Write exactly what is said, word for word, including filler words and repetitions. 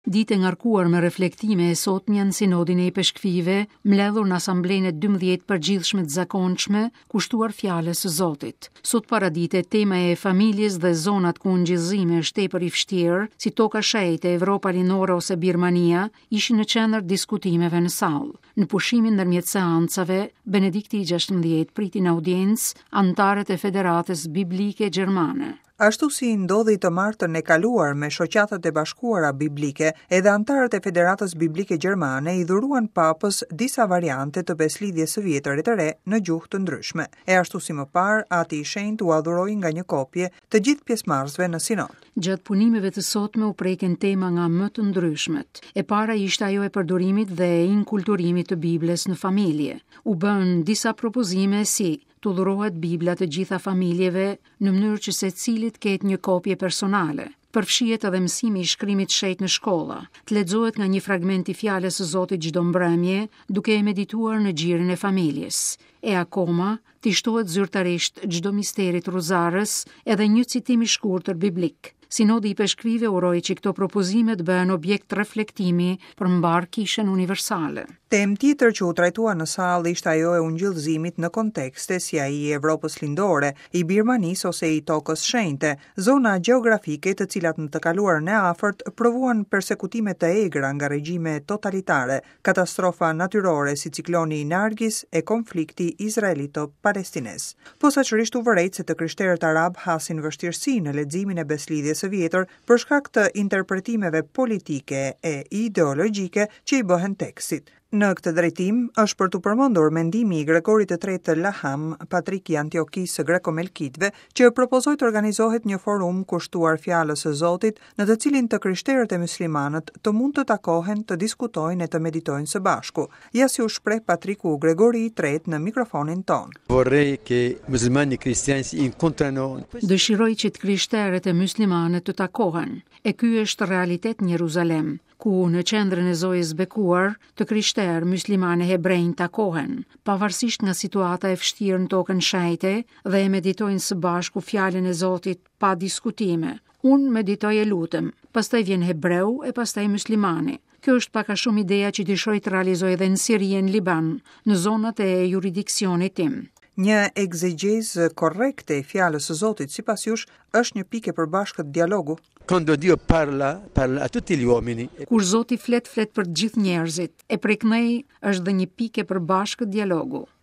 Ditë e ngarkuar me reflektime e sotmja në Sinodin e Ipeshkvive, mbledhur në Asamblenë e dymbëdhjetë përgjithshme të zakonshme, kushtuar fjalës së Zotit. Sot paradite tema e familjes dhe zonat ku ungjillëzimi është tepër i vështirë, si toka shenjte, Evropa Lindore ose Birmania, ishin në qendër diskutimeve në sallë. Në pushimin ndërmjet seancave, Benedikti i gjashtëmbëdhjetë priti në audiencë anëtarët e Federatës Biblike Gjermane. Ashtu si ndodhi të martën e kaluar me shoqatat e bashkuara biblike, edhe anëtarët e Federatës Biblike Gjermane i dhuruan papës disa variante të beslidhjes së vjetër e të re në gjuhë të ndryshme. E ashtu si më parë, Ati i Shenjtë ua dhuroi nga një kopje të gjithë pjesëmarrësve në sinod. Gjatë punimeve të sotme u preken tema nga më të ndryshmet. E para ishte ajo e përdorimit dhe e inkulturimit të Biblës në familje. U bën disa propozime si të dhurohet Bibla të gjitha familjeve në mënyrë që secilit ketë një kopje personale. Përfshihet edhe mësimi i shkrimit shenjt në shkolla, të lexohet nga një fragment i fjalës së Zotit çdo mbrëmje, duke e medituar në gjirin e familjes. E akoma, t'i shtohet zyrtarisht çdo misterit rozarës edhe një citim i shkurtër biblik. Sinodi i Peshkvive uroi që këto propozime të bëhen objekt reflektimi për mbar kishën universale. Temë tjetër që u trajtua në sallë ishte ajo e ungjillëzimit në kontekste si ai i Evropës Lindore, i Birmanisë ose i Tokës Shenjte, zona gjeografike të cilat në të kaluarën e afërt provuan persekutime të egra nga regjime totalitare, katastrofa natyrore si cikloni i Nargis e konflikti izraelito-palestinez. Posaçërisht u vërejt se të krishterët arab hasin vështirësi në leximin e beslidhjes së vjetër për shkak të interpretimeve politike e ideologjike që i bëhen tekstit. Në këtë drejtim është për t'u përmendur mendimi i Gregorit të tretë të Laham, patrik i Antiokisë së Grekomelkitëve, që propozoi të organizohet një forum kushtuar fjalës së Zotit, në të cilin të krishterët e muslimanët të mund të takohen, të diskutojnë e të meditojnë së bashku. Ja si u shpreh patriku Gregori i tretë në mikrofonin tonë. Vorrei che musulmani e cristiani si incontrano. Dëshiroj që të krishterët e muslimanët të takohen. E ky është realitet në Jeruzalem, ku në qendrën e Zojës Bekuar, të krishterë, muslimanë e hebrejnë takohen, pavarësisht nga situata e vështirë në tokën shenjte dhe e meditojnë së bashku fjalën e Zotit pa diskutime. Unë meditoj e lutem, pastaj vjen hebreu e pastaj muslimani. Kjo është pak a shumë ideja që dëshiroj të realizoj edhe në Siri e në Liban, në zonat e juridiksionit tim. Një egzegjezë korrekte e fjalës së Zotit, sipas jush, është një pikë e përbashkët dialogu. Quando Dio parla, parla a tutti gli uomini. Kur Zoti flet, flet për të gjithë njerëzit, e prej këndej është dhe një pikë e përbashkët dialogu.